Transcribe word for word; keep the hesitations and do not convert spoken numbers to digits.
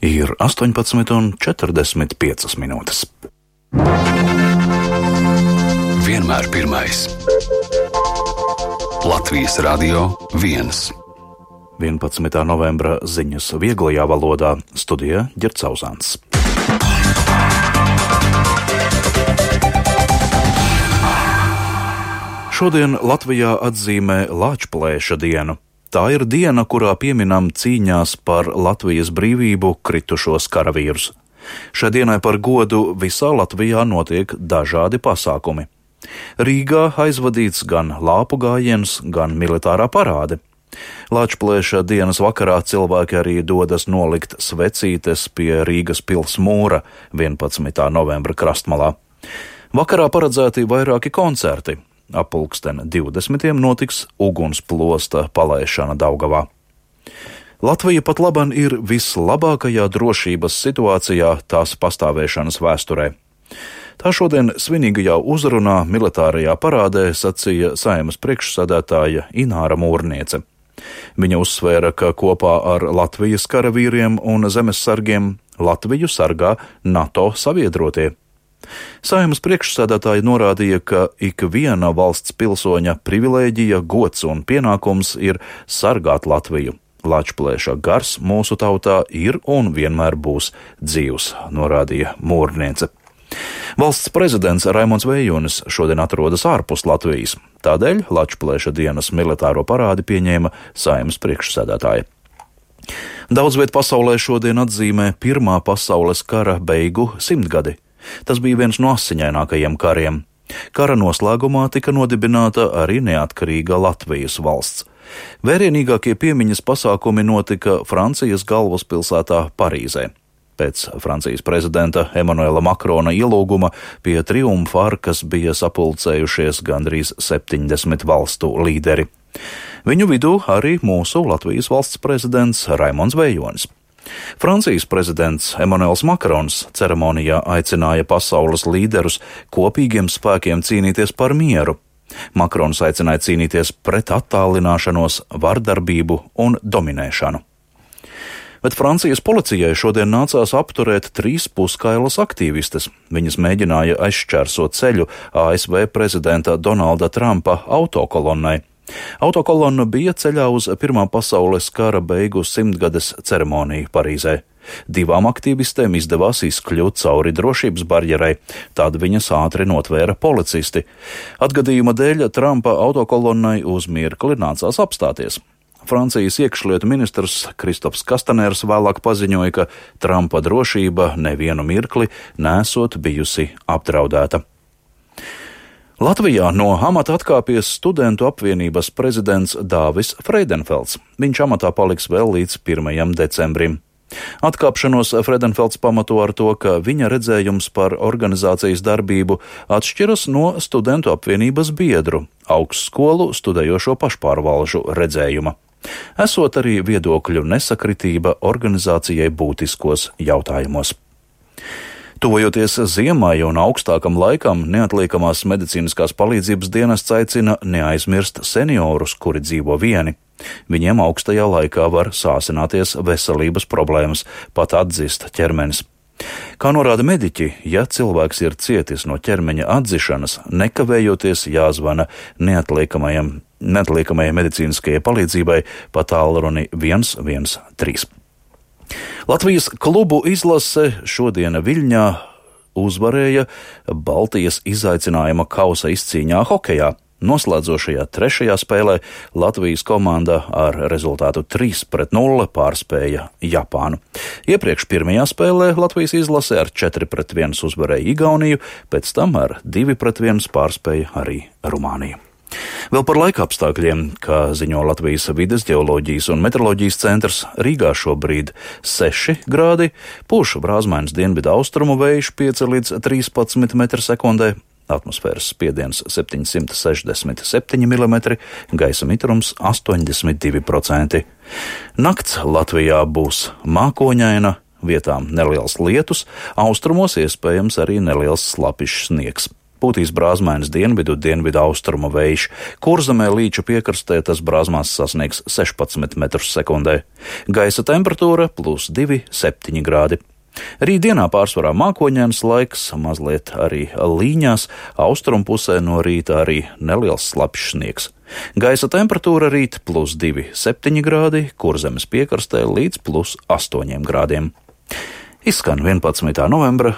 Ir astoņpadsmit un četrdesmit piecas minūtes. Vienmēr pirmais. Latvijas Radio viens. vienpadsmitā novembra ziņas vieglajā valodā, studijā Ģerts Zauzāns. Šodien Latvijā atzīmē Lāčplēša dienu. Tā ir diena, kurā pieminam cīņās par Latvijas brīvību kritušos karavīrus. Šai dienai par godu visā Latvijā notiek dažādi pasākumi. Rīgā aizvadīts gan lāpu gājiens, gan militārā parāde. Lāčplēša dienas vakarā cilvēki arī dodas nolikt svecītes pie Rīgas pils mūra vienpadsmitā novembra krastmalā. Vakarā paredzēti vairāki koncerti. Ap pulksten divdesmitiem notiks ugunsplosta palaišana Daugavā. Latvija pat laban ir vislabākajā drošības situācijā tās pastāvēšanas vēsturē. Tā šodien svinīgajā uzrunā militārajā parādē sacīja Saeimas priekšsēdētāja Ināra Mūrniece. Viņa uzsvēra, ka kopā ar Latvijas karavīriem un zemessargiem Latviju sargā NATO sabiedrotie. Saeimas priekšsēdētāja norādīja, ka ik viena valsts pilsoņa privilēģija, gods un pienākums ir sargāt Latviju. Lāčplēša gars mūsu tautā ir un vienmēr būs dzīvs, norādīja Mūrniece. Valsts prezidents Raimons Vejonis šodien atrodas ārpus Latvijas, tādēļ Lāčplēša dienas militāro parādi pieņēma Saeimas priekšsēdētāja. Daudz viet pasaulē šodien atzīmē Pirmā pasaules kara beigu simtgadi. Tas bija viens no asiņainākajiem kariem. Kara noslēgumā tika nodibināta arī neatkarīga Latvijas valsts. Vērienīgākie piemiņas pasākumi notika Francijas galvaspilsētā Parīzē. Pēc Francijas prezidenta Emanuela Makrona ielūguma pie triumfa arkas bija sapulcējušies gandrīz septiņdesmit valstu līderi. Viņu vidū arī mūsu Latvijas valsts prezidents Raimons Vejonis. Francijas prezidents Emanuels Makrons ceremonijā aicināja pasaules līderus kopīgiem spēkiem cīnīties par mieru. Makrons aicināja cīnīties pret attālināšanos, vardarbību un dominēšanu. Bet Francijas policijai šodien nācās apturēt trīs puskailas aktīvistes. Viņas mēģināja aizšķērsot ceļu A S V prezidenta Donalda Trumpa autokolonnai. Autokolonna bija ceļā uz Pirmā pasaules kara beigu simtgades ceremoniju Parīzē. Divām aktīvistēm izdevās izkļūt cauri drošības barjerei, tad viņas ātri notvēra policisti. Atgadījuma dēļ Trumpa autokolonnai uz mirkli nācās apstāties. Francijas iekšlietu ministrs Kristofs Kastanērs vēlāk paziņoja, ka Trumpa drošība nevienu mirkli nesot bijusi apdraudēta. Latvijā no amata atkāpies Studentu apvienības prezidents Dāvis Freidenfelds. Viņš amatā paliks vēl līdz pirmajam decembrim. Atkāpšanos Freidenfelds pamato ar to, ka viņa redzējums par organizācijas darbību atšķiras no Studentu apvienības biedru, augstskolu studējošo pašpārvalžu redzējuma. Esot arī viedokļu nesakritība organizācijai būtiskos jautājumos. Tuvojoties ziemai un augstākam laikam, neatliekamās medicīniskās palīdzības dienests aicina neaizmirst seniorus, kuri dzīvo vieni. Viņiem augstajā laikā var sāsināties veselības problēmas, pat atzist ķermenis. Kā norāda mediķi, ja cilvēks ir cietis no ķermeņa atdzišanas, nekavējoties jāzvana neatliekamajai neatliekamajai medicīniskajai palīdzībai pa tālruni viens viens trīs. Latvijas klubu izlase šodien Viļņā uzvarēja Baltijas izaicinājuma kausa izcīņā hokejā. Noslēdzošajā trešajā spēlē Latvijas komanda ar rezultātu trīs pret nulli pārspēja Japānu. Iepriekš pirmajā spēlē Latvijas izlase ar četri pret viens uzvarēja Igauniju, pēc tam ar divi pret viens pārspēja arī Rumāniju. Vēl par laika apstākļiem, kā ziņo Latvijas vides ģeoloģijas un meteoroloģijas centrs, Rīgā šobrīd seši grādi, pūš brāzmains dienvidu austrumu vējš pieci līdz trīspadsmit metri sekundē, atmosfēras spiediens septiņsimt sešdesmit septiņi milimetri, gaisa mitrums astoņdesmit divi procenti. Nakts Latvijā būs mākoņaina, vietām neliels lietus, austrumos iespējams arī neliels slapišs sniegs. Pūtīs brāzmainas dienvidu, dienvidu austrumu vējš. Kurzemē līča piekrastē tas brāzmās sasniegs sešpadsmit metrus sekundē. Gaisa temperatūra plus divi, septiņi grādi. Rītdienā pārsvarā mākoņains laiks, mazliet arī līņās, austrumpusē no rīta arī neliels slapjš sniegs. Gaisa temperatūra rīt plus divi, septiņi grādi, Kurzemes piekrastē līdz plus astoņiem grādiem. Izskan vienpadsmitā novembra